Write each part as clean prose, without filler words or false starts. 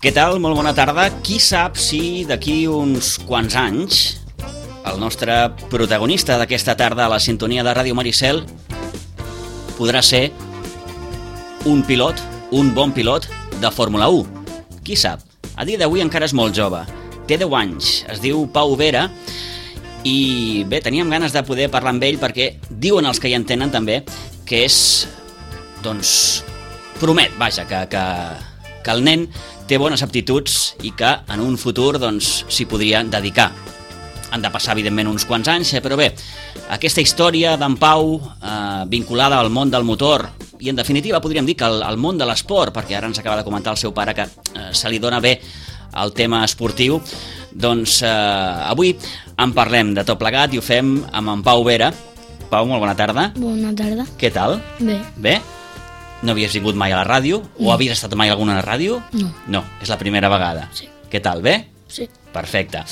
Què tal? Molt bona tarda. Qui sap si d'aquí uns quants anys el nostre protagonista d'aquesta tarda a la sintonia de Ràdio Maricel podrà ser un pilot, un bon pilot de Fórmula 1. Qui sap? A dia d'avui encara és molt jove. Té 10 anys, es diu Pau Vera i bé, teníem ganes de poder parlar amb ell perquè diuen els que hi entenen també que és, doncs, promet, vaja, que el nen té bones aptituds i que en un futur doncs s'hi podria dedicar. Han de passar, evidentment, uns quants anys, però bé, aquesta història d'en Pau vinculada al món del motor i, en definitiva, podríem dir que al món de l'esport, perquè ara ens acaba de comentar el seu pare que se li dona bé el tema esportiu, doncs avui en parlem de tot plegat i ho fem amb en Pau Vera. Pau, molt bona tarda. Bona tarda. Què tal? Bé. Bé? No havies vingut mai a la ràdio? O havies estat mai a alguna ràdio? No. No, és la primera vegada. Sí. Què tal, bé? Sí. Perfecte.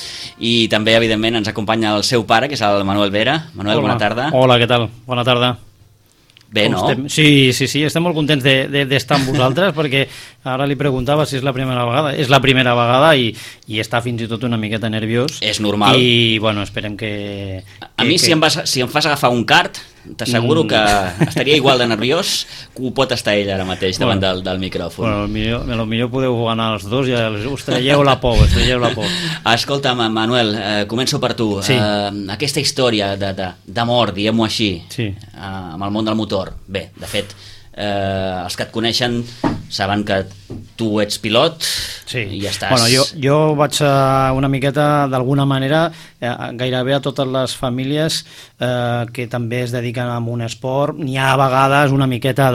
I també, evidentment, ens acompanya el seu pare, que és el Manuel Vera. Manuel, bona tarda. Hola, què tal? Bona tarda. Bé, no? Sí, estem molt contents d'estar amb vosaltres perquè ara li preguntava si és la primera vegada. És la primera vegada i està fins i tot una miqueta nerviós. És normal. I, bueno, esperem que... A mi, si em fas agafar un kart, t'asseguro que estaria igual de nerviós que ho pot estar ell ara mateix davant del micròfon. Bueno, potser podeu anar els dos i us traieu la por, Escolta, Manuel, començo per tu. Sí. Aquesta història d'amor, diguem-ho així, sí, amb el món del motor. Bé, de fet, els que et coneixen saben que tu ets pilot, sí, i ja estàs... Bueno, jo vaig una miqueta, d'alguna manera, gairebé a totes les famílies que també es dediquen a un esport. N'hi ha a vegades una miqueta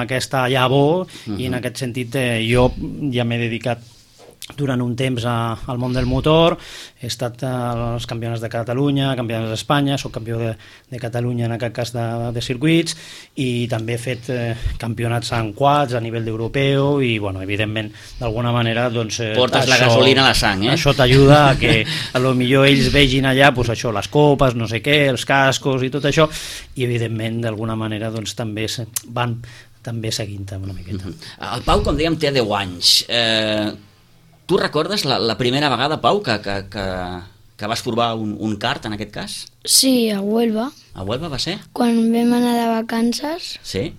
aquesta llavor, i en aquest sentit jo ja m'he dedicat durant un temps al món del motor. He estat als campionats de Catalunya, campionats d'Espanya, soc campió de Catalunya en aquest cas de circuits, i també he fet campionats en quads a nivell d'europeu i, bueno, evidentment, d'alguna manera, doncs... Portes la gasolina a la sang, eh? Això t'ajuda a que a lo millor ells vegin allà, doncs això, les copes, no sé què, els cascos i tot això, i evidentment, d'alguna manera, doncs també van també seguint una miqueta. El Pau, com dèiem, té 10 anys. Tu recordes la primera vegada, Pau, que vas provar un kart, en aquest cas? Sí, a Huelva. A Huelva va ser? Quan vam anar de vacances. Sí?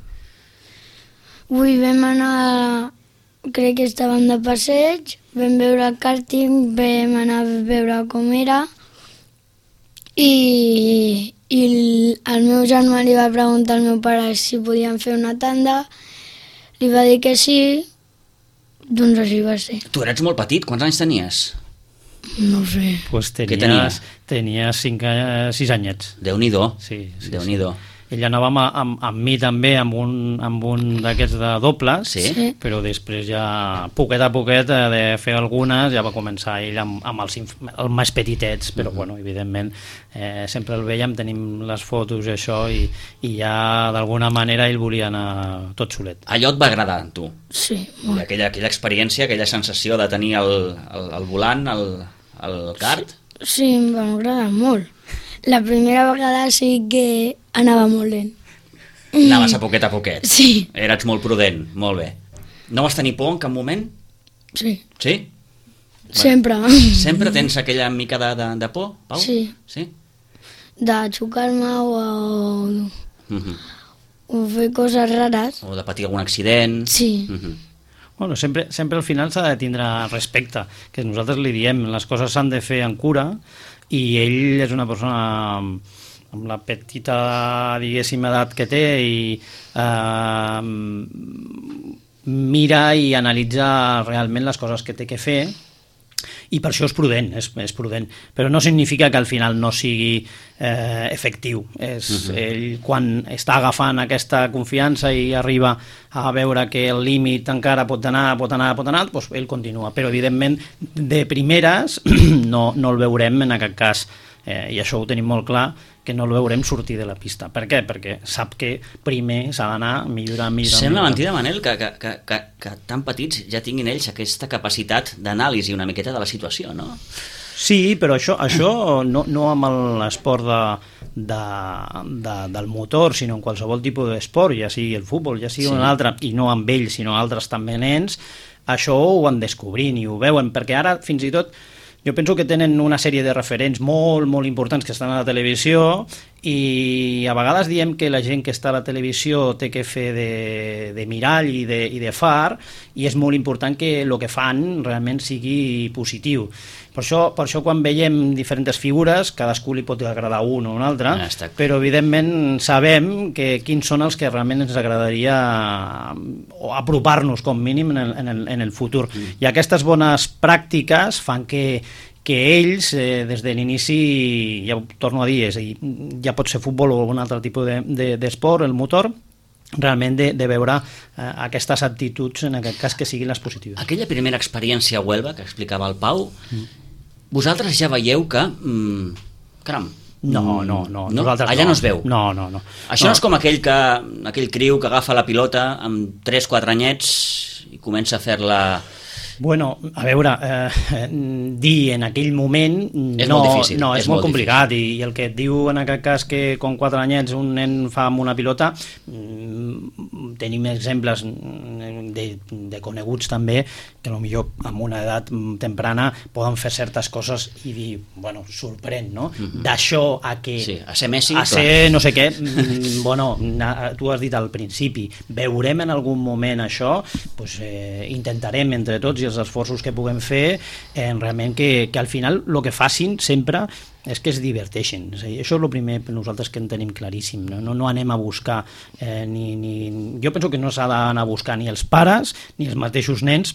Avui vam anar, crec que estàvem de passeig, vam veure el kàrting, vam anar a veure com era, i el meu germà li va preguntar al meu pare si podíem fer una tanda, li va dir que sí. Doncs així va ser. Tu eres molt petit, quants anys tenies? No ho sé. Pues tenies 6 anyets. Déu-n'hi-do. Sí. Déu-n'hi-do. Ell anava amb mi també, amb un d'aquests de dobles, sí? Però després ja, poquet a poquet, de fer algunes, ja va començar ell amb els més petitets, però bueno, evidentment, sempre el veiem, tenim les fotos i això, i ja d'alguna manera ell volia anar tot solet. Allò et va agradar, tu? Sí. I aquella experiència, aquella sensació de tenir el volant, el kart? Sí, em va agradar molt. La primera vegada sí que anava molt lent. Anaves a poquet. Sí. Eres molt prudent, molt bé. No vas tenir por en cap moment? Sí. Sí? Sempre. Sempre tens aquella mica de por, Pau? Sí. Sí? De xocar-me o fer coses rares. O de patir algun accident. Sí. Bueno, sempre al final s'ha de tindre respecte, que nosaltres li diem, les coses s'han de fer amb cura, i ell és una persona amb la petita, diguéssim, edat que té, i mira i analitza realment les coses que té que fer, i per això és prudent, però no significa que al final no sigui efectiu. Ell, quan està agafant aquesta confiança i arriba a veure que el límit encara pot anar, doncs ell continua, però evidentment de primeres no el veurem en aquest cas, i això ho tenim molt clar, que no el veurem sortir de la pista. Per què? Perquè sap que primer s'ha d'anar millorant. Sembla mentida, Manel, que tan petits ja tinguin ells aquesta capacitat d'anàlisi una miqueta de la situació, no? Sí, però això no amb l'esport del motor, sinó en qualsevol tipus d'esport, ja sigui el futbol, ja sigui un altre, i no amb ells, sinó altres també nens, això ho van descobrint i ho veuen, perquè ara fins i tot jo penso que tenen una sèrie de referents molt, molt importants que estan a la televisió i a vegades diem que la gent que està a la televisió té que fer de mirall i de far, i és molt important que el que fan realment sigui positiu. Per això quan veiem diferents figures, cadascú li pot agradar un o un altre, però evidentment sabem quins són els que realment ens agradaria apropar-nos com mínim en el futur. I aquestes bones pràctiques fan que ells, des de l'inici, ja ho torno a dir, ja pot ser futbol o algun altre tipus d'esport, el motor, realment de veure aquestes actituds, en aquest cas, que siguin les positives. Aquella primera experiència a Huelva que explicava el Pau, vosaltres ja veieu que... caram, no. Allà no es veu. No. Això no és com aquell criu que agafa la pilota amb 3-4 anyets i comença a fer-la... Bueno, a veure, dir en aquell moment és molt difícil. No, és molt complicat, i el que et diu en aquest cas que con 4 anyets un nen fa amb una pilota, tenim exemples de coneguts també que potser amb una edat temprana poden fer certes coses i dir, bueno, sorprèn, no? D'això a que... Sí, a ser Messi, a ser no sé què, bueno, tu has dit al principi, veurem en algun moment això, doncs intentarem entre tots i els esforços que puguem fer realment que al final el que facin sempre és que es diverteixen. Això és el primer per nosaltres que en tenim claríssim. No anem a buscar jo penso que no s'ha d'anar a buscar ni els pares ni els mateixos nens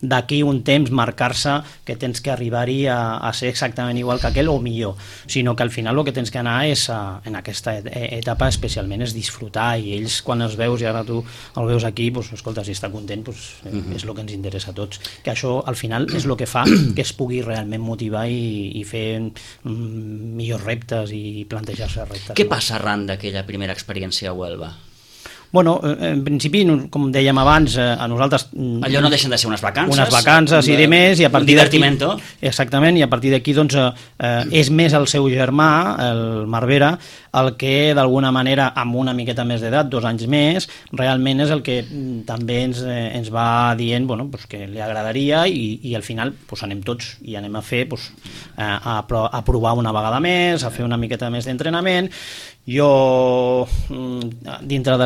d'aquí un temps marcar-se que tens que arribar-hi a ser exactament igual que aquell o millor, sinó que al final el que tens que anar és en aquesta etapa especialment és disfrutar, i ells quan els veus, i ara tu el veus aquí, escolta, si està content és el que ens interessa a tots, que això al final és el que fa que es pugui realment motivar i fer millors reptes i plantejar-se reptes. Què passa arran d'aquella primera experiència a Huelva? Bueno, en principi, com dèiem abans, a nosaltres... Allò no deixen de ser unes vacances. Unes vacances i de més, i a partir d'aquí... Un divertimento. Exactament, i a partir d'aquí, doncs, és més el seu germà, el Marvera, el que, d'alguna manera, amb una miqueta més d'edat, 2 anys més, realment és el que també ens va dient, bueno, pues, que li agradaria, i al final pues, anem tots i anem a fer, pues, a provar una vegada més, a fer una miqueta més d'entrenament. Jo, dintre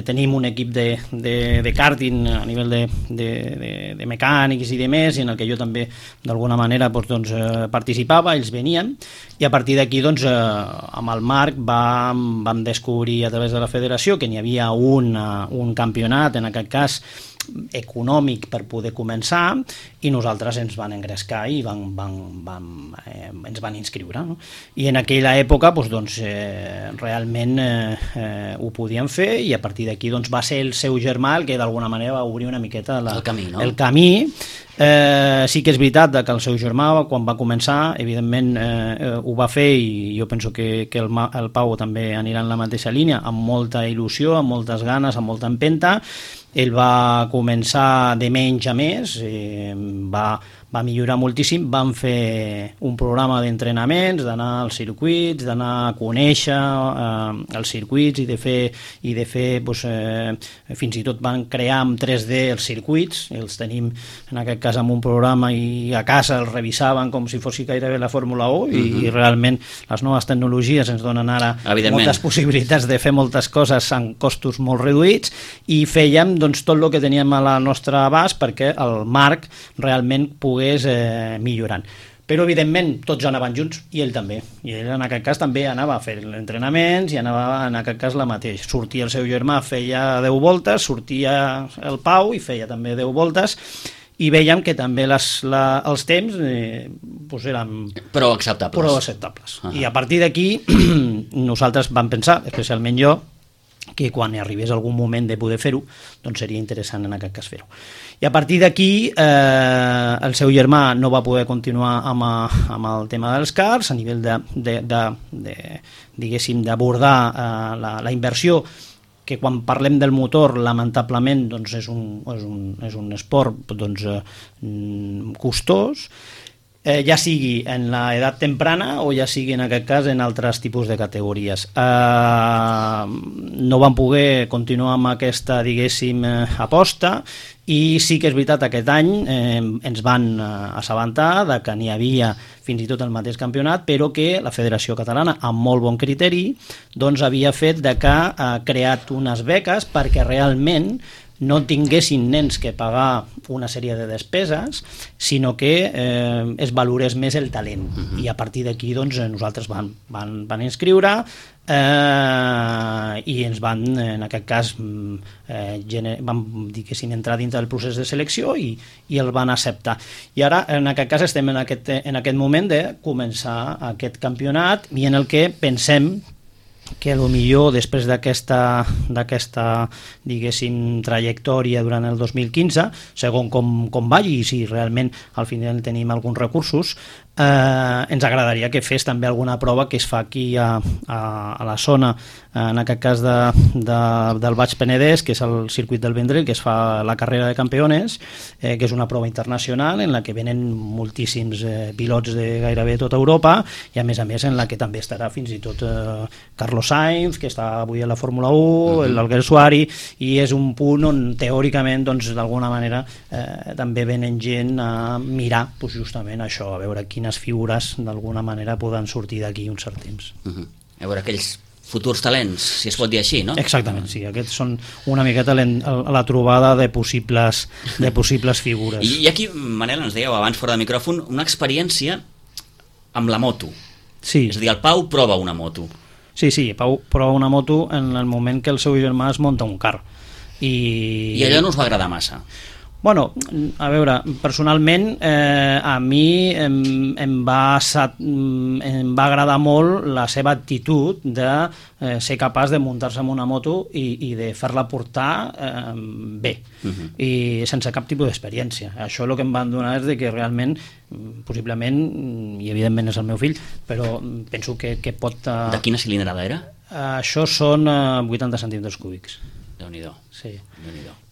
tenim un equip de karting a nivell de mecànics i de més, en el que jo també d'alguna manera participava, ells venien, i a partir d'aquí amb el Marc vam descobrir a través de la federació que n'hi havia un campionat, en aquest cas econòmic, per poder començar, i nosaltres ens van engrescar i ens van inscriure, no? I en aquella època realment ho podíem fer, i a partir d'aquí va ser el seu germà el que d'alguna manera va obrir una miqueta el camí, no? El camí. Sí que és veritat que el seu germà, quan va començar, evidentment ho va fer, i jo penso que el Pau també anirà en la mateixa línia, amb molta il·lusió, amb moltes ganes, amb molta empenta. Ell va començar de menys a més, va millorar moltíssim. Vam fer un programa d'entrenaments, d'anar als circuits, d'anar a conèixer els circuits i de fer fins i tot van crear en 3D els circuits, els tenim en aquest cas amb un programa, i a casa els revisaven com si fos gairebé la Fórmula 1, i realment les noves tecnologies ens donen ara moltes possibilitats de fer moltes coses amb costos molt reduïts, i fèiem tot el que teníem a la nostra abast perquè el Marc realment pogués millorant. Però evidentment tots anaven junts, i ell també, i ell en aquest cas també anava a fer entrenaments, i anava en aquest cas la mateixa. Sortia el seu germà, feia 10 voltes, sortia el Pau i feia també 10 voltes, i veiem que també els temps eren prou acceptables. I a partir d'aquí nosaltres vam pensar, especialment jo, que quan arribés algun moment de poder fer-ho, seria interessant en aquest cas fer-ho. I a partir d'aquí el seu germà no va poder continuar amb el tema dels karts, a nivell diguéssim d'abordar la inversió, que quan parlem del motor lamentablement és un esport costós, ja sigui en l'edat temprana o ja sigui en aquest cas en altres tipus de categories. No van poder continuar amb aquesta, diguéssim, aposta, i sí que és veritat, aquest any ens van assabentar de que n'hi havia fins i tot el mateix campionat, però que la Federació Catalana, amb molt bon criteri, doncs havia fet de que ha creat unes beques perquè realment no tinguessin nens que pagar una sèrie de despeses, sinó que es valorés més el talent. I a partir d'aquí doncs, nosaltres van inscriure i ens van, en aquest cas, vam dir que entrar dintre del procés de selecció i el van acceptar. I ara, en aquest cas, estem en aquest moment de començar aquest campionat i en el que pensem que potser després d'aquesta diguéssim trajectòria durant el 2015, segons com vagi i si realment al final tenim alguns recursos, ens agradaria que fes també alguna prova que es fa aquí a la zona, en aquest cas del Baix Penedès, que és el circuit del Vendrell, que es fa la carrera de campeones, que és una prova internacional en la que venen moltíssims pilots de gairebé tota Europa i a més en la que també estarà fins i tot Carlos Sainz, que està avui a la Fórmula 1, l'Alguersuari, i és un punt on teòricament doncs, d'alguna manera també venen gent a mirar justament això, a veure quines figures d'alguna manera poden sortir d'aquí un cert temps. A veure aquells futurs talents, si es pot dir així, no? Exactament, sí, aquests són una miqueta la trobada de possibles figures. I aquí, Manel, ens dèieu abans fora de micròfon, una experiència amb la moto. Sí. És a dir, el Pau prova una moto. Sí, Pau prova una moto en el moment que el seu germà es munta un car. I allò no us va agradar massa? Bueno, a veure, personalment a mi em va agradar molt la seva actitud de ser capaç de muntar-se en una moto i de fer-la portar bé, i sense cap tipus d'experiència. Això el que em van donar és que realment, possiblement, i evidentment és el meu fill, però penso que pot... De quina cilindrada era? Això són 80 centímetres cúbics. Déu-n'hi-do. Sí.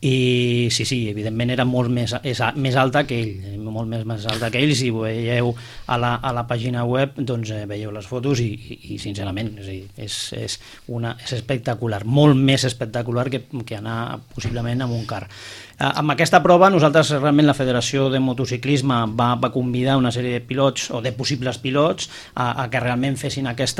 I sí, evidentment era molt més alta que ell, molt més alta que ell. Si ho veieu a la pàgina web, doncs veieu les fotos i sincerament és espectacular, molt més espectacular que anar possiblement amb un car. Amb aquesta prova nosaltres realment la Federació de Motociclisme va convidar una sèrie de pilots o de possibles pilots a que realment fessin aquest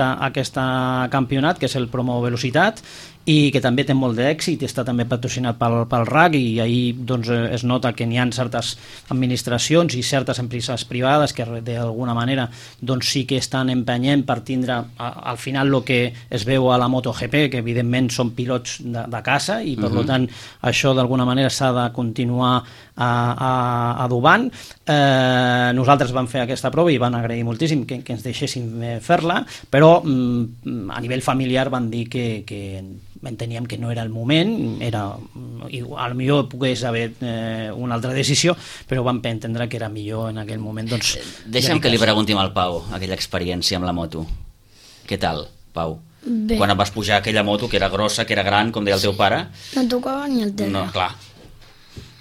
campionat, que és el Promo Velocitat, i que també té molt d'èxit i està també patrocinat pel RAC, i ahir doncs, es nota que n'hi ha certes administracions i certes empreses privades que d'alguna manera doncs, sí que estan empenyent per tindre al final el que es veu a la MotoGP, que evidentment són pilots de casa i per tant això d'alguna manera s'ha de continuar adobant. Nosaltres vam fer aquesta prova i van agrair moltíssim que ens deixessin fer-la, però a nivell familiar van dir que enteníem que no era el moment, al millor pogués haver una altra decisió, però vam entendre que era millor en aquell moment. Doncs, deixa'm que li pregunti al Pau aquella experiència amb la moto. Què tal, Pau? Bé. Quan et vas pujar aquella moto que era grossa, que era gran, com deia el teu pare? No tocava ni el terra. No, clar.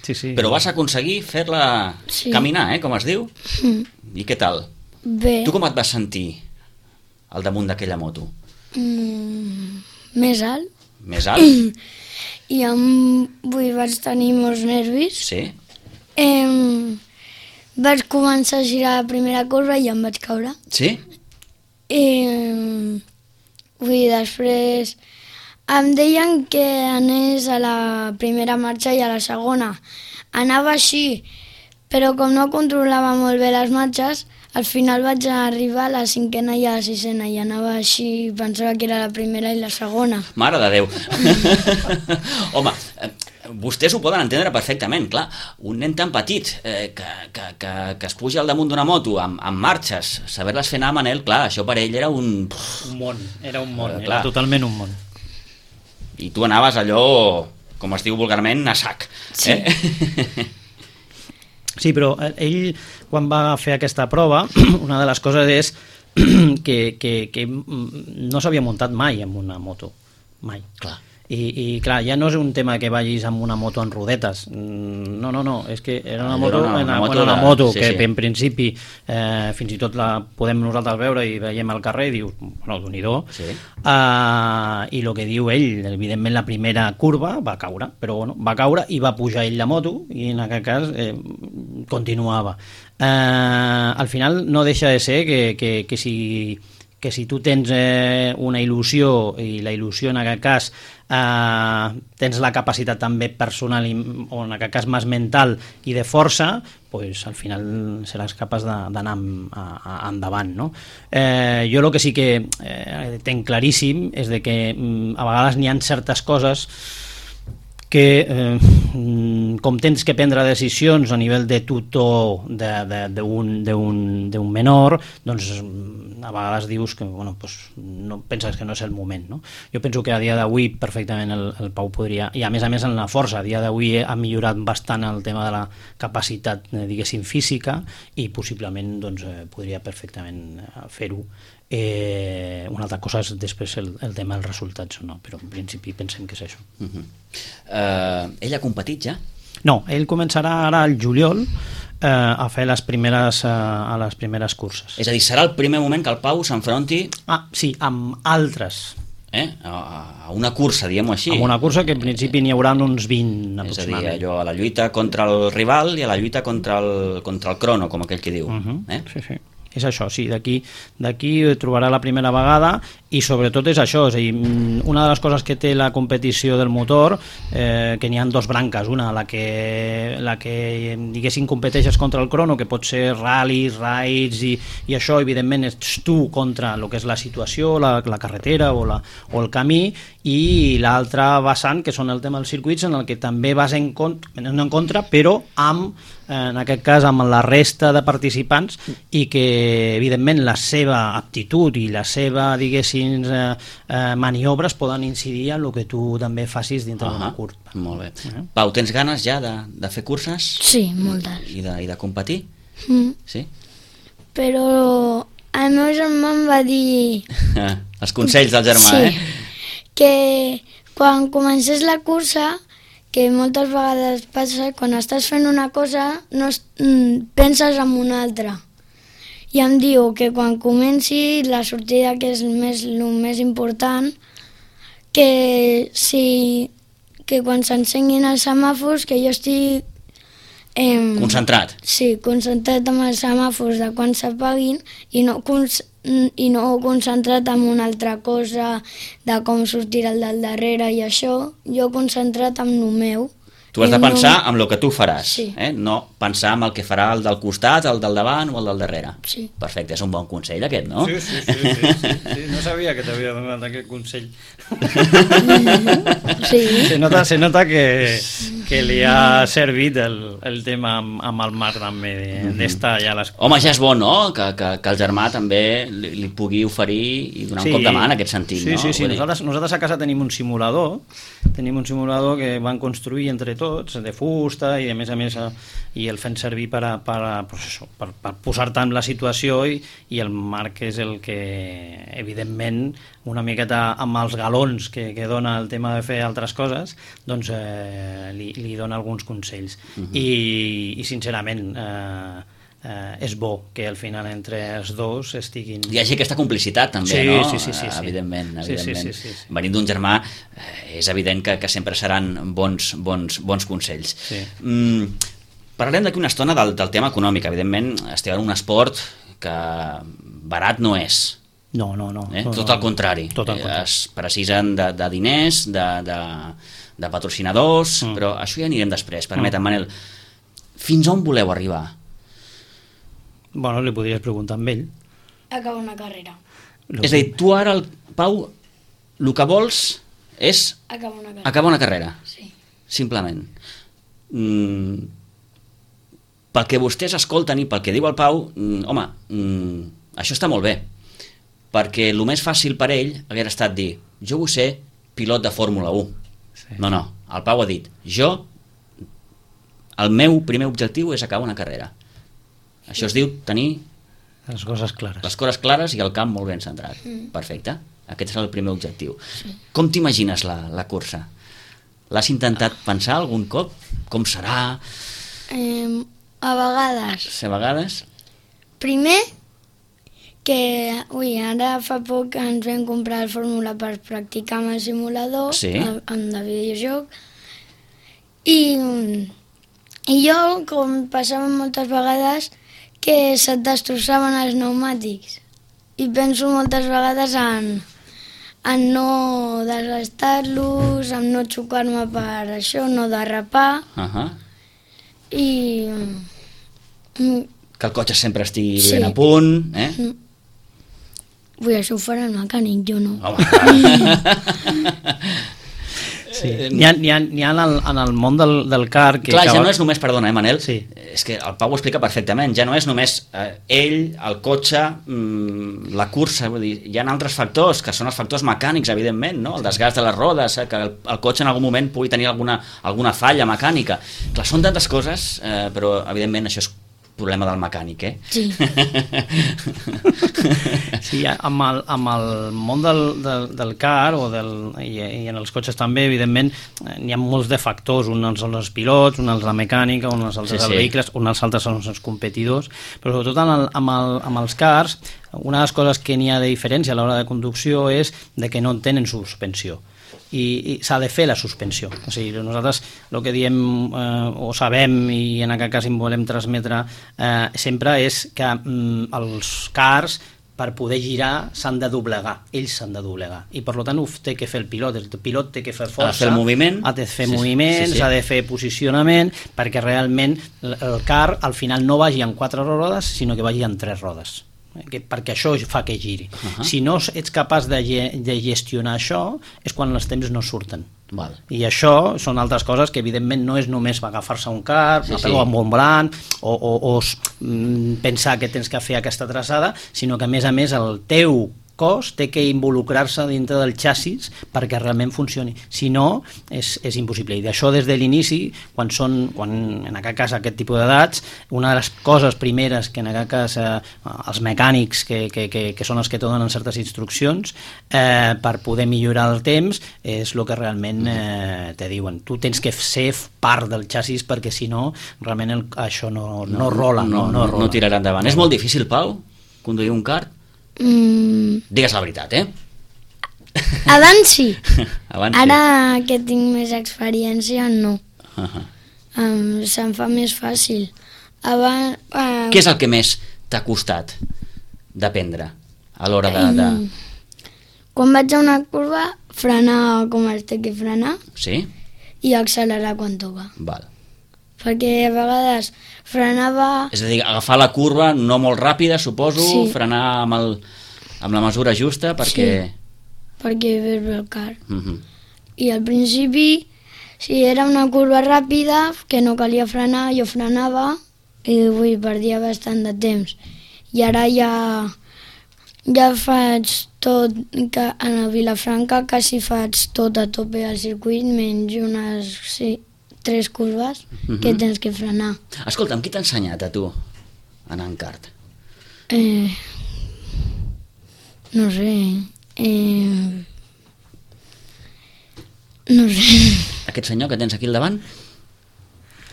Sí. Però vas aconseguir fer-la caminar, com es diu? I què tal? Bé. Tu com et vas sentir al damunt d'aquella moto? Més alt. Més alt? I vaig tenir molts nervis. Sí? Vaig començar a girar la primera curva i em vaig caure. Sí? Després em deien que anés a la primera marxa i a la segona. Anava així, però com no controlava molt bé les marxes, al final vaig arribar a la cinquena i a la sisena i anava així, pensava que era la primera i la segona. Mare de Déu! Home, vostès ho poden entendre perfectament, clar. Un nen tan petit que es puja al damunt d'una moto amb marxes, saber-les fer anar, Manel, clar, això per ell era un... Un món, era totalment un món. I tu anaves allò, com es diu vulgarment, a sac. Sí. Sí, però ell, quan va fer aquesta prova, una de les coses és que no s'havia muntat mai amb una moto, mai. Clar. I clar, ja no és un tema que vagis amb una moto en rodetes, no, és que era una moto que en principi fins i tot la podem nosaltres veure i veiem al carrer i dius, bueno, Déu-n'hi-do, i el que diu ell, evidentment la primera curva va caure, però bueno, va caure i va pujar ell la moto i en aquest cas continuava. Al final no deixa de ser que si tu tens una il·lusió, i la il·lusió en aquest cas tens la capacitat també personal o en aquest cas més mental i de força, pues al final seràs capaç d'anar endavant, no? Jo el que sí que tenc claríssim és de que a vegades n'hi ha certes coses que com tens que prendre decisions a nivell de tutor d'un menor, doncs a vegades dius que bueno, pues, no penses que no és el moment, no? Jo penso que a dia d'avui perfectament el Pau podria, i a més en la força, a dia d'avui ha millorat bastant el tema de la capacitat, diguéssim, física, i possiblement doncs, podria perfectament fer-ho. Una altra cosa és després el tema dels resultats o no, però en principi pensem que és això. Ell ha competit ja? No, ell començarà ara al juliol a fer les primeres curses. És a dir, serà el primer moment que el Pau s'enfronti... Sí, amb altres. A una cursa, diguem-ho així. Amb una cursa que en principi n'hi haurà uns 20 aproximadament. És a dir, allò, a la lluita contra el rival i a la lluita contra el crono, com aquell que diu. Sí. És això, sí, d'aquí trobarà la primera vegada, i sobretot és això, és a dir, una de les coses que té la competició del motor, que n'hi ha dos branques, una la que diguéssim competeixes contra el crono, que pot ser ral·lis, raids, i això evidentment ets tu contra el que és la situació, la carretera o el camí, i l'altra vessant, que són el tema dels circuits, en el que també vas en contra, però en aquest cas amb la resta de participants, i que evidentment la seva aptitud i la seva, diguéssim, maniobres poden incidir en el que tu també facis dintre d'una curva. Molt bé. Pau, tens ganes ja de fer curses? Sí, moltes. I de competir? Sí? Però el meu germà em va dir... Els consells del germà, sí, que quan comencés la cursa, que moltes vegades passa, quan estàs fent una cosa no penses en una altra, i em diu que quan comenci la sortida, que és el més important, que quan s'encenguin els semàfors, que jo estic concentrat. Sí, concentrat amb els semàfors de quan s'apaguin, i no concentrat en una altra cosa de com sortirà el del darrere i això. Jo concentrat en el meu. Tu has de pensar en el que tu faràs, no pensar en el que farà el del costat, el del davant o el del darrere. Sí. Perfecte, és un bon consell aquest, no? Sí. No sabia que t'havia donat aquest consell. Sí. Se nota que li ha servit el tema amb el Marc també d'estar allà a les... Home, ja és bo, no?, que el germà també li pugui oferir i donar un cop de mà en aquest sentit, no? Sí. Nosaltres a casa tenim un simulador que van construir entre tots, de fusta, i a més i el fem servir per posar-te en la situació, i el Marc és el que evidentment una miqueta amb els galons que dona el tema de fer altres coses, doncs li dona alguns consells. I sincerament és bo que al final entre els dos estiguin... Hi hagi aquesta complicitat també, no? Sí. Evidentment. Sí. Venint d'un germà és evident que sempre seran bons consells. Sí. Parlarem d'aquí una estona del tema econòmic. Evidentment esteu en un esport que barat no és. No. Tot al contrari. Es precisen de diners, de patrocinadors, però això ja anirem després. Permetem, Manel, fins on voleu arribar? Bueno, li podries preguntar amb ell. Acabar una carrera. És a dir, tu ara, Pau, el que vols és acabar una carrera. Sí. Simplement. Pel que vostès escolten i pel que diu el Pau, home, això està molt bé, perquè el més fàcil per ell hagués estat dir, jo vull ser pilot de Fórmula 1. Sí. No, el Pau ha dit, el meu primer objectiu és acabar una carrera. Això es diu tenir les coses clares i el camp molt ben centrat. Perfecte. Aquest serà el primer objectiu. Sí. Com t'imagines la cursa? L'has intentat pensar algun cop? Com serà? A vegades. A vegades? Primer, ara fa poc ens vam comprar el fórmula per practicar amb el simulador, sí, amb el videojoc, i jo, com passava moltes vegades, que se't destrossaven els pneumàtics. I penso moltes vegades en no desgastar-los, en no xocar-me per això, no derrapar. I... que el cotxe sempre estigui ben a punt, Això ho farà el mecànic, jo no. Sí. N'hi ha en el món del car... Clar, ja no és només, perdona, Manel, és que el Pau ho explica perfectament, ja no és només ell, el cotxe, la cursa, vull dir, hi ha altres factors, que són els factors mecànics, evidentment, no? El desgast de les rodes, que el cotxe en algun moment pugui tenir alguna falla mecànica. Clar, són tantes coses, però evidentment això és problema del mecànic, Sí. Sí, amb el món del car i en els cotxes també, evidentment, n'hi ha molts de factors. Uns són els pilots, uns els la mecànica, uns els vehicles, uns altres són els competidors, però sobretot amb els cars, una de les coses que n'hi ha de diferència a l'hora de conducció és de que no tenen suspensió. I s'ha de fer la suspensió. O sigui, nosaltres el que diem o sabem, i en aquest cas en volem transmetre sempre, és que els cars, per poder girar, s'han de doblegar, ells s'han de doblegar, i per tant ho té que fer el pilot té que fer força, ha de fer el moviment, ha de fer moviment, s'ha de fer posicionament, perquè realment el car al final no vagi en 4 rodes, sinó que vagi en 3 rodes, perquè això fa que giri. Si no ets capaç de gestionar això, és quan els temps no surten. I això són altres coses que evidentment no és només agafar-se un car, amb un volant o pensar que tens que fer aquesta traçada, sinó que a més el teu cos té que involucrar-se dintre del xassis perquè realment funcioni. Si no, és impossible. I d'això des de l'inici, quan en aquest cas aquest tipus d'edats, una de les coses primeres que en aquest cas els mecànics que són els que te donen certes instruccions per poder millorar el temps és el que realment te diuen. Tu tens que ser part del xassis perquè si no, realment això no rola. No tirarà endavant. És molt difícil, Pau, conduir un kart? Digues la veritat, Abans sí. Ara que tinc més experiència, no. Se'm fa més fàcil. Què és el que més t'ha costat d'aprendre a l'hora de... Quan vaig a una curva, frenar com es té que frenar, i accelerar quan toca. Perquè a vegades frenava... És a dir, agafar la curva no molt ràpida, suposo, frenar amb la mesura justa, perquè... Sí, perquè ves bé el car. I al principi, si era una curva ràpida, que no calia frenar, jo frenava i perdia bastant de temps. I ara ja faig tot, a la Vilafranca quasi faig tot a tope al circuit, menys unes... 3 curves que tens que frenar. Escolta'm, qui t'ha ensenyat a tu a anar en kart? No sé. No sé. Aquest senyor que tens aquí al davant?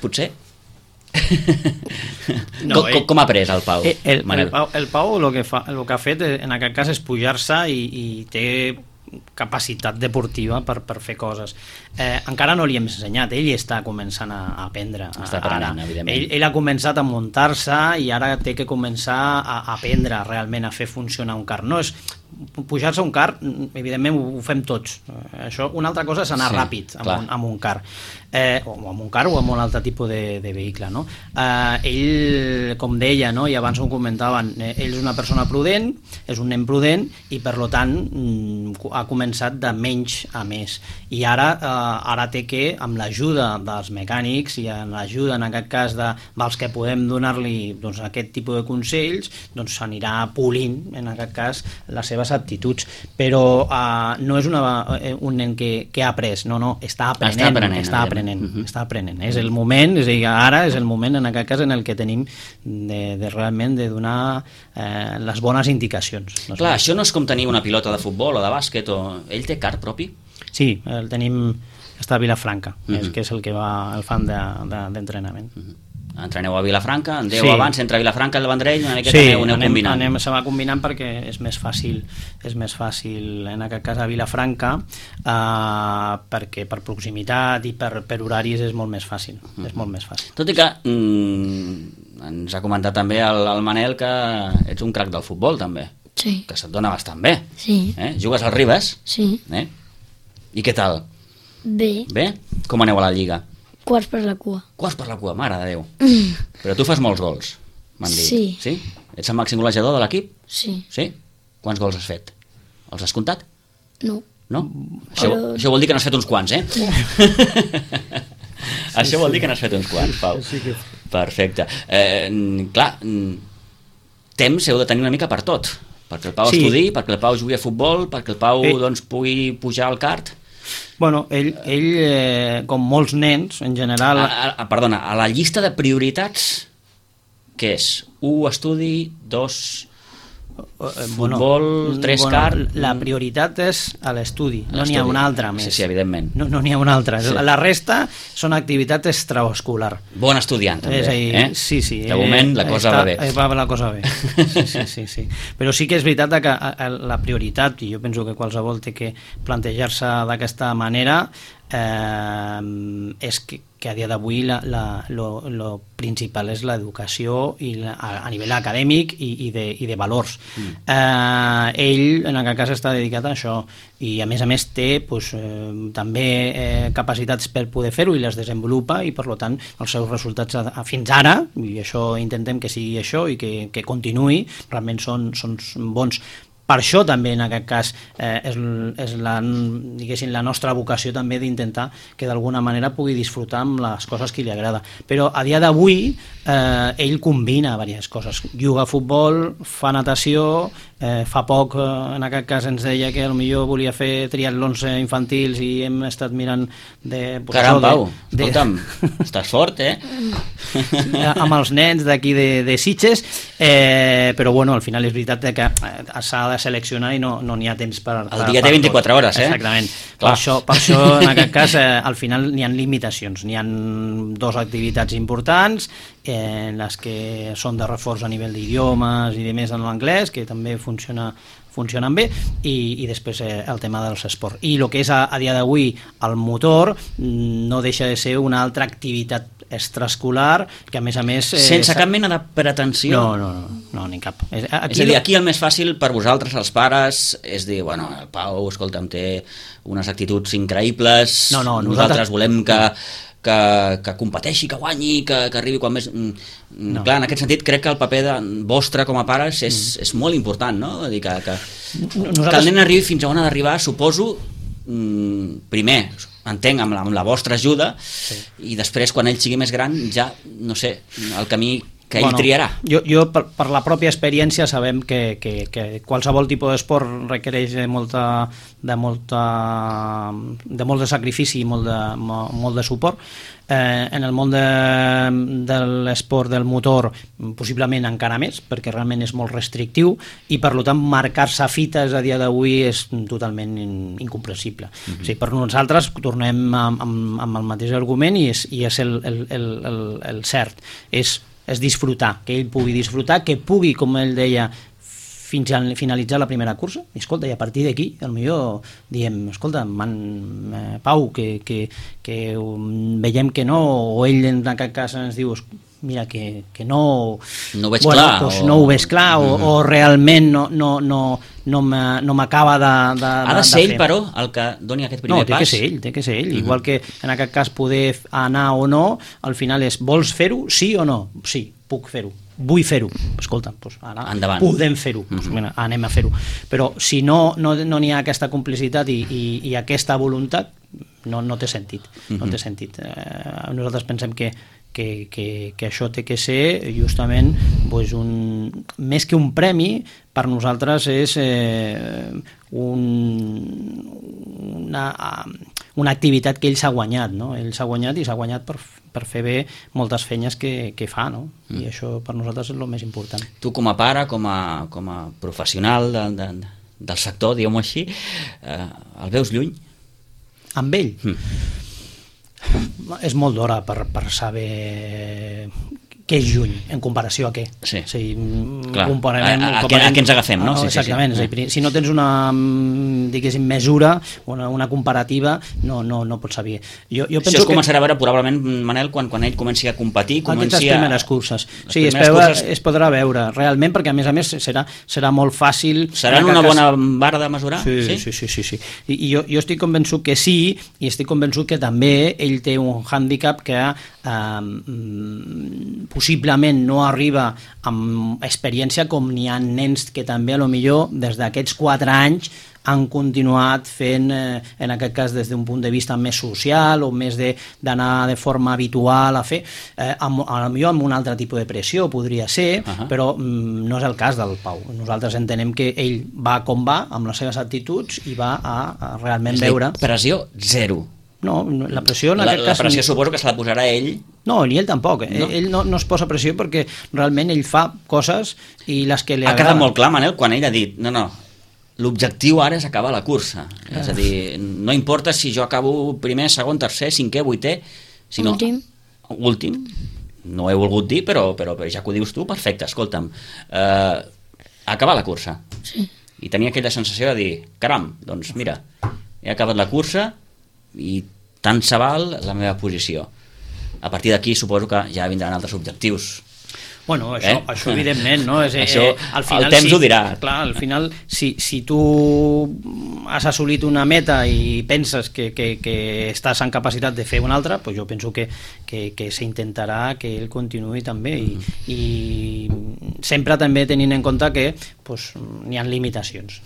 Potser? Com ha après el Pau? El Pau el que ha fet en aquest cas és pujar-se i té capacitat deportiva per fer coses. Encara no li hem ensenyat, ell està començant a aprendre. Està aprenent, evidentment. Ell ha començat a muntar-se i ara té que començar a aprendre realment a fer funcionar un car. No és pujar-se a un car, evidentment ho fem tots. Això, una altra cosa és anar ràpid amb un car. O amb un car o amb un altre tipus de vehicle, no? Ell, com deia, no? I abans ho comentaven, ell és una persona prudent, és un nen prudent i per tant ha començat començat de menys a més, i ara té que, amb l'ajuda dels mecànics i amb l'ajuda en aquest cas dels que podem donar-li doncs, aquest tipus de consells, doncs s'anirà polint en aquest cas les seves aptituds, però no és un nen que ha après, no, està aprenent. És el moment, és a dir, ara és el moment en aquest cas en el que tenim de realment de donar les bones indicacions. Clar, això no és com tenir una pilota de futbol o de bàsquet, ell té kart propi? Sí, el tenim, està a Vilafranca, que és el que el fan d'entrenament. Entreneu a Vilafranca, andeu abans entre Vilafranca i el Vendrell, una miqueta aneu combinant. Se va combinant perquè és més fàcil en aquest cas a Vilafranca, perquè per proximitat i per horaris és molt més fàcil. És molt més fàcil. Tot i que ens ha comentat també el Manel que ets un crac del futbol també, que se't dona bastant bé. Sí. Jugues al Ribes? Sí. I què tal? Bé. Com aneu a la Lliga? Quarts per la cua. Quarts per la cua, mare de Déu. Però tu fas molts gols, m'han dit. Sí. Ets el màxim golejador de l'equip? Sí. Quants gols has fet? Els has comptat? No. Això vol dir que n'has fet uns quants, Això vol dir que n'has fet uns quants, Pau. Perfecte. Clar, temps heu de tenir una mica per tot. Perquè el Pau estudi, perquè el Pau jugui a futbol, perquè el Pau pugui pujar al kart. Bueno, ell com molts nens, en general... Perdona, a la llista de prioritats, què és? 1, estudi, 2... futbol, 3 kart... La prioritat és a l'estudi, no n'hi ha una altra més. Sí, evidentment. No n'hi ha una altra. La resta són activitats extraescolar. Bon estudiant, també. Sí. De moment la cosa va bé. Va la cosa bé, sí. Però sí que és veritat que la prioritat, i jo penso que qualsevol té que plantejar-se d'aquesta manera, és que a dia d'avui lo principal és l'educació a nivell acadèmic i de valors. Ell en aquest cas està dedicat a això i a més té també capacitats per poder fer-ho i les desenvolupa, i per tant els seus resultats fins ara, i això intentem que sigui això i que continuï, realment són bons. Per això també en aquest cas és la nostra vocació també d'intentar que d'alguna manera pugui disfrutar amb les coses que li agrada. Però a dia d'avui ell combina diverses coses. Juga a futbol, fa natació, fa poc en aquest cas ens deia que potser volia fer triatlons infantils i hem estat mirant Caram, Pau, escolta'm, estàs fort, amb els nens d'aquí de Sitges, però bueno, al final és veritat que s'ha de seleccionar i no n'hi ha temps per... El dia té 24 hores, Exactament. Per això en aquest cas al final n'hi ha limitacions, n'hi ha 2 activitats importants, les que són de reforç a nivell d'idiomes i de més en l'anglès, que també funcionen bé, i després el tema dels esports. I el que és a dia d'avui el motor no deixa de ser una altra activitat extraescolar que a més... Sense cap mena de pretensió? No, ni cap. És a dir, aquí el més fàcil per vosaltres, els pares, és dir, bueno, el Pau, escolta'm, té unes actituds increïbles, nosaltres volem que competeixi, que guanyi, que arribi quan més... Clar, en aquest sentit crec que el paper vostre com a pares és molt important, no? Dir que el nen arribi fins a on ha d'arribar, suposo, primer, entenc, amb la vostra ajuda, i després, quan ell sigui més gran, ja, no sé, el camí que ell triarà. Jo per la pròpia experiència sabem que qualsevol tipus d'esport requereix de molt de sacrifici i molt de suport. En el món de l'esport del motor possiblement encara més, perquè realment és molt restrictiu i per tant marcar-se fites a dia d'avui és totalment incomprensible. O sigui, per nosaltres tornem amb el mateix argument i és el cert, és disfrutar, que ell pugui disfrutar, que pugui, com ell deia, fins a finalitzar la primera cursa, i escolta, i a partir d'aquí potser diem, escolta, Pau, que veiem que no, o ell en aquest cas ens diu, mira, que no ho veig clar, doncs no ho veig clar, o realment no m'acaba de ha de ser ell, però, el que doni aquest primer pas? No, té que ser ell. Igual que en aquest cas poder anar o no, al final és, vols fer-ho, sí o no? Sí, puc fer-ho. vull fer-ho, escolta, doncs ara endavant. Podem fer-ho, doncs, anem a fer-ho, però si no n'hi ha aquesta complicitat i aquesta voluntat, no té sentit, no té sentit. Nosaltres pensem que això té que ser justament doncs, més que un premi, per nosaltres és una activitat que ell s'ha guanyat, no? Ell s'ha guanyat i s'ha guanyat per fer bé moltes feines que fa, no? I això per nosaltres és el més important. Tu com a pare, com a professional del sector, diguem-ho així, el veus lluny? Amb ell? És molt d'hora per saber què és lluny, en comparació a què. Sí, clar. A què ens agafem, no? Exactament. Sí. Si no tens una, diguéssim, mesura, una comparativa, no pots saber. Això es començarà a veure probablement, Manel, quan ell comenci a competir, aquestes primeres curses. Sí, es podrà veure, realment, perquè a més serà molt fàcil... Seran una bona vara de mesurar? Sí. I jo estic convençut que sí, i estic convençut que també ell té un hàndicap que possiblement no arriba amb experiència com n'hi ha nens que també potser des d'aquests 4 anys han continuat fent, en aquest cas des d'un punt de vista més social o més d'anar de forma habitual a fer, potser amb un altre tipus de pressió podria ser, però no és el cas del Pau. Nosaltres entenem que ell va com va, amb les seves actituds, i va a realment veure... Pressió zero. No, la pressió en aquest cas... La pressió suposo que se la posarà ell. No, ni ell tampoc. No? Ell no es posa pressió perquè realment ell fa coses i les que li agraden. Ha quedat molt clar, Manel, quan ell ha dit no, l'objectiu ara és acabar la cursa. És a dir, no importa si jo acabo primer, segon, tercer, cinquè, vuitè, sinó... Últim. No ho he volgut dir, però ja que ho dius tu, perfecte, escolta'm. Acabar la cursa. Sí. I tenia aquella sensació de dir, caram, doncs mira, he acabat la cursa i tant se val la meva posició. A partir d'aquí suposo que ja vindran altres objectius. Bueno, això evidentment, no? Això al final, el temps ho dirà. Clar, al final, si tu has assolit una meta i penses que estàs en capacitat de fer una altra, doncs jo penso que s'intentarà que ell continuï també i sempre també tenint en compte que n'hi ha limitacions.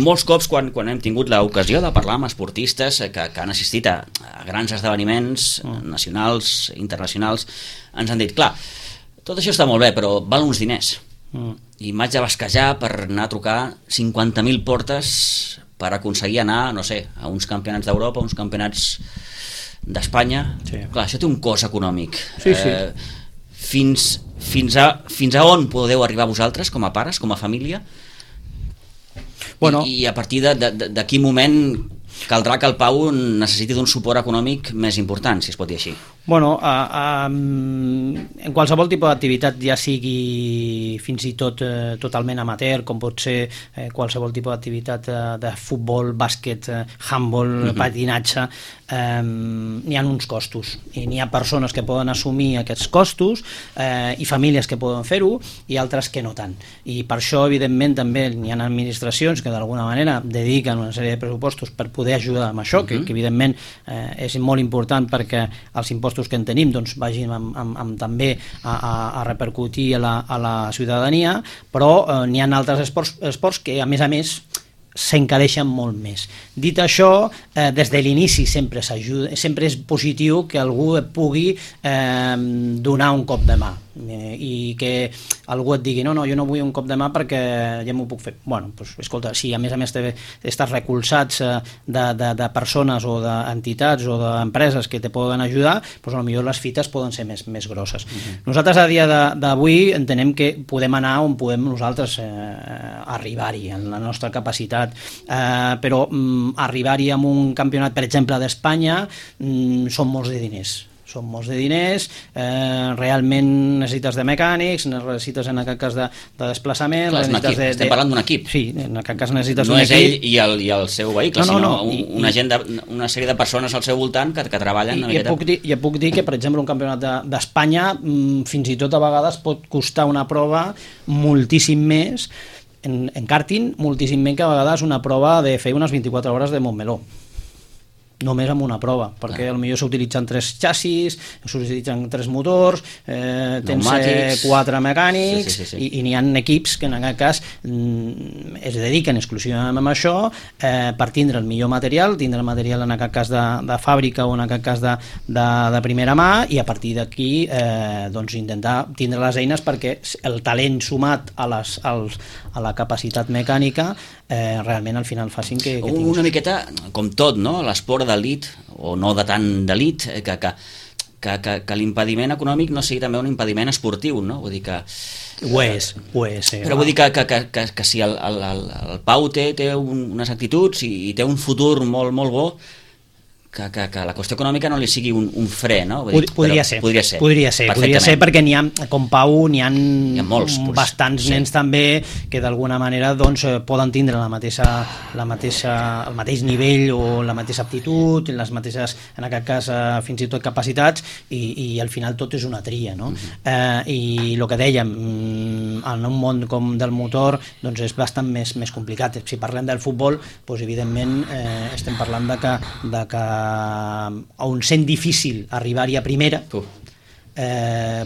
Molts cops quan hem tingut l'ocasió de parlar amb esportistes que han assistit a grans esdeveniments nacionals, internacionals, ens han dit, clar, tot això està molt bé, però val uns diners. I m'haig de basquejar per anar a trucar 50.000 portes per aconseguir anar, no sé, a uns campionats d'Europa, a uns campionats d'Espanya. Sí. Clar, això té un cost econòmic. Sí. Fins a on podeu arribar vosaltres, com a pares, com a família? Bueno. I a partir de quin moment caldrà que el Pau necessiti d'un suport econòmic més important, si es pot dir així? Bueno, en qualsevol tipus d'activitat, ja sigui fins i tot totalment amateur, com pot ser qualsevol tipus d'activitat de futbol, bàsquet, handball, patinatge, n'hi ha uns costos i n'hi ha persones que poden assumir aquests costos i famílies que poden fer-ho i altres que no tant. I per això, evidentment, també n'hi ha administracions que d'alguna manera dediquen una sèrie de pressupostos per poder ajudar amb això, que evidentment és molt important perquè els impostos que en tenim vagin també a repercutir a la ciutadania, però n'hi ha altres esports que a més s'encareixen molt més. Dit això, des de l'inici sempre és positiu que algú et pugui donar un cop de mà i que algú et digui no, jo no vull un cop de mà perquè ja m'ho puc fer. Bueno, doncs, escolta, si a més estàs recolzats de persones o d'entitats o d'empreses que te poden ajudar, doncs potser les fites poden ser més grosses. Nosaltres a dia d'avui entenem que podem anar on podem nosaltres arribar-hi en la nostra capacitat, però arribar-hi amb un campionat, per exemple, d'Espanya, són molts de diners. Són molts de diners, realment necessites de mecànics, necessites en aquest cas de desplaçament... Clar, és un equip, estem parlant d'un equip. Sí, en aquest cas necessites un equip. No és ell i el seu vehicle, sinó una sèrie de persones al seu voltant que treballen una miqueta. I et puc dir que, per exemple, un campionat d'Espanya fins i tot a vegades pot costar una prova moltíssim més, en karting, moltíssim més que a vegades una prova de fer unes 24 hores de Montmeló. només amb una prova, perquè potser s'utilitzen 3 xassis, s'utilitzen 3 motors, tens 4 mecànics, i n'hi ha equips que en aquest cas es dediquen exclusivament a això per tindre el millor material, tindre el material en aquest cas de fàbrica o en aquest cas de primera mà, i a partir d'aquí doncs intentar tindre les eines perquè el talent sumat a la capacitat mecànica realment al final facin que una miqueta com tot, no? L'esport d'elit o no de tant d'elit, que l'impediment econòmic no sigui també un impediment esportiu, no? Vull dir que ho és, però vull dir que si el Pau té unes actituds i té un futur molt, molt bo, que la qüestió econòmica no li sigui un fre, no? Podria ser, perquè n'hi ha, com Pau, n'hi ha molts, bastants nens també que d'alguna manera doncs, poden tindre el mateix nivell o la mateixa aptitud, les mateixes, en aquest cas, fins i tot capacitats, i al final tot és una tria, no? I el que dèiem, en un món com del motor, doncs és bastant més complicat. Si parlem del futbol, doncs evidentment estem parlant de que on sent difícil arribar-hi a primera,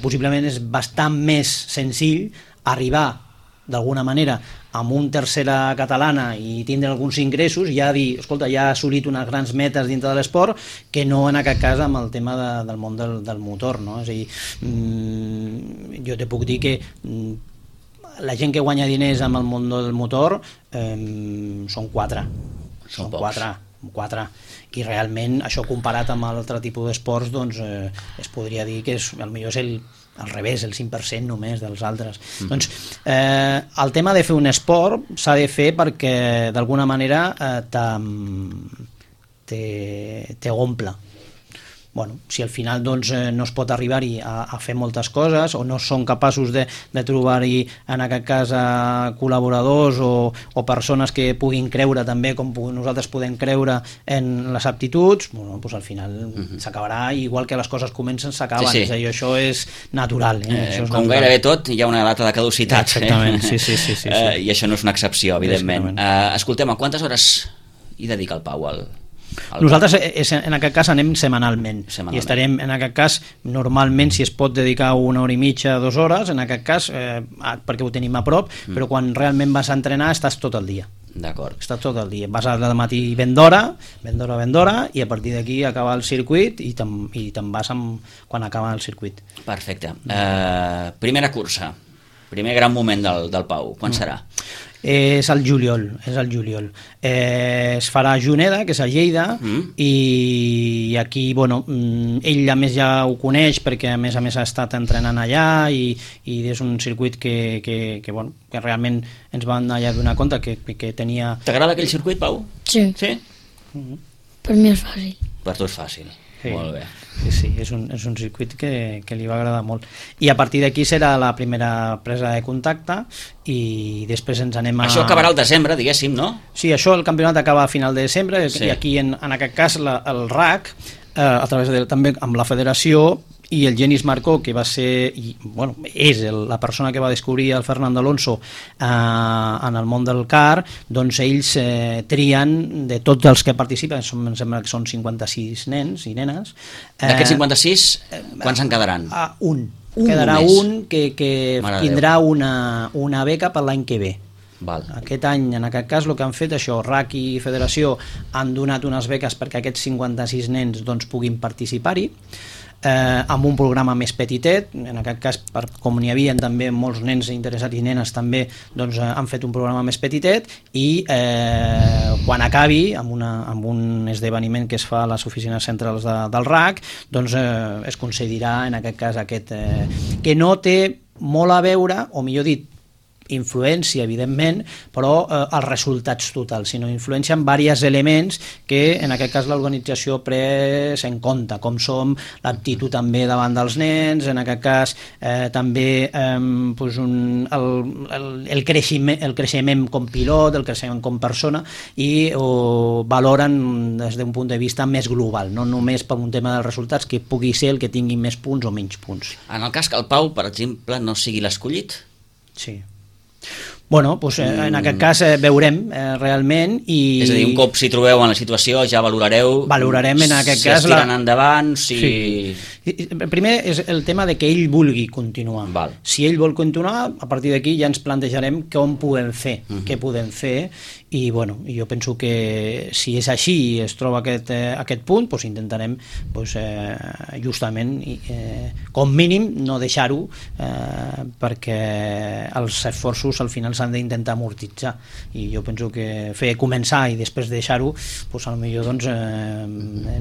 possiblement és bastant més senzill arribar d'alguna manera amb un tercera catalana i tindre alguns ingressos i ja dir, escolta, ja ha assolit unes grans metes dintre de l'esport, que no en aquest cas amb el tema del món del motor, no? És a dir, jo te puc dir que la gent que guanya diners amb el món del motor són 4. Són 4. I realment això comparat amb altre tipus d'esports doncs es podria dir que potser és al revés, el 5% només dels altres. Doncs el tema de fer un esport s'ha de fer perquè d'alguna manera t'omple. Bueno, si al final doncs, no es pot arribar-hi a fer moltes coses o no són capaços de trobar-hi en aquest cas col·laboradors o persones que puguin creure també com nosaltres podem creure en les aptituds, bueno, doncs al final s'acabarà, igual que les coses comencen s'acaben, és a dir, això és natural. Això és com natural. Gairebé tot hi ha una data de caducitat. Exactament, sí. I això no és una excepció, evidentment. Escoltem, a quantes hores hi dedica el Pau Nosaltres en aquest cas anem setmanalment i estarem en aquest cas normalment, si es pot dedicar 1 hora i mitja, 2 hores en aquest cas, perquè ho tenim a prop, però quan realment vas a entrenar estàs tot el dia. D'acord. Estàs tot el dia, vas al matí ben d'hora, i a partir d'aquí acaba el circuit i te'n vas quan acaba el circuit. Perfecte. Primera cursa, primer gran moment del Pau, quan serà? És al juliol. Es farà a Juneda, que és a Lleida, i aquí, bueno, ell a més ja ho coneix perquè a més ha estat entrenant allà i és un circuit que realment ens van allà donar compte que tenia... T'agrada aquell circuit, Pau? Sí. Per mi és fàcil. Per tu és fàcil. Sí. Molt bé. Sí, és un circuit que li va agradar molt. I a partir d'aquí serà la primera presa de contacte i després ens anem a... Això acabarà al desembre, diguéssim, no? Sí, això el campionat acaba a final de desembre i aquí en aquest cas el RAC, a través també amb la federació i el Genís Marcó, que va ser és la persona que va descobrir el Fernando Alonso en el món del car, doncs ells trien de tots els que participen, em sembla que són 56 nens i nenes. D'aquests 56, quants en quedaran? Quedarà un que tindrà una beca per l'any que ve. Val. Aquest any, en aquest cas, el que han fet això, RAC i Federació han donat unes beques perquè aquests 56 nens doncs, puguin participar-hi, amb un programa més petitet. En aquest cas, com n'hi havia també molts nens interessats i nenes també, doncs han fet un programa més petitet i quan acabi amb un esdeveniment que es fa a les oficines centrals del RAC, doncs es concedirà en aquest cas que no té molt a veure, o millor dit, influència, evidentment, però els resultats totals, sinó influència en diversos elements que en aquest cas l'organització pres en compte, com som l'aptitud també davant dels nens, en aquest cas també el creixement com pilot, el creixement com persona, i ho valoren des d'un punt de vista més global, no només per un tema dels resultats, que pugui ser el que tingui més punts o menys punts. En el cas que el Pau, per exemple, no sigui l'escollit? Sí. Bueno, doncs, en aquest cas veurem realment i... És a dir, un cop s'hi trobeu en la situació ja valorareu... Valorarem en aquest si cas... es tiren endavant, si... Sí. Primer és el tema de que ell vulgui continuar. Val. Si ell vol continuar, a partir d'aquí ja ens plantejarem com podem fer, què podem fer, i bueno, jo penso que si és així i es troba aquest punt, doncs intentarem justament, com mínim, no deixar-ho, perquè els esforços al final s'han d'intentar amortitzar, i jo penso que començar i després deixar-ho, doncs potser doncs,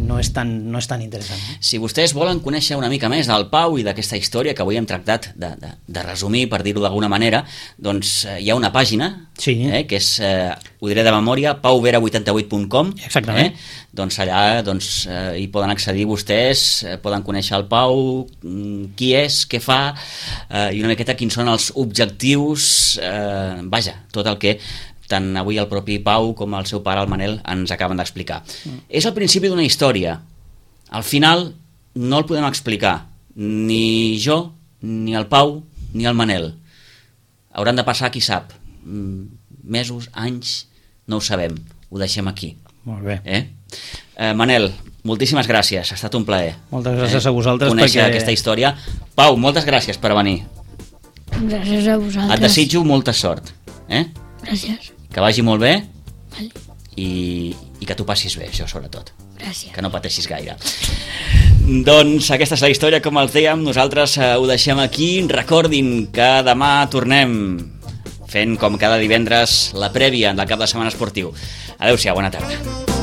no és tan interessant. Si vostès volen conèixer una mica més del Pau i d'aquesta història que avui hem tractat de resumir, per dir-ho d'alguna manera, doncs hi ha una pàgina, sí, que és, ho diré de memòria, pauvera88.com. Exactament. Doncs allà hi poden accedir vostès, poden conèixer el Pau, qui és, què fa, i una miqueta quins són els objectius, vaja, tot el que tant avui el propi Pau com el seu pare, el Manel, ens acaben d'explicar. És el principi d'una història. Al final no el podem explicar, ni jo, ni el Pau, ni el Manel. Hauran de passar, qui sap, mesos, anys, no ho sabem, ho deixem aquí. Molt bé. Manel, moltíssimes gràcies, ha estat un plaer. Moltes gràcies a vosaltres. Conèixer aquesta història. Pau, moltes gràcies per venir. Gràcies a vosaltres. Et desitjo molta sort. Gràcies. Que vagi molt bé. Vale. I que tu passis bé, això sobretot. Gràcies. Que no pateixis gaire. Doncs aquesta és la història, com els dèiem, nosaltres ho deixem aquí. Recordin que demà tornem fent com cada divendres la prèvia del cap de setmana esportiu. Adéu-siau, bona tarda.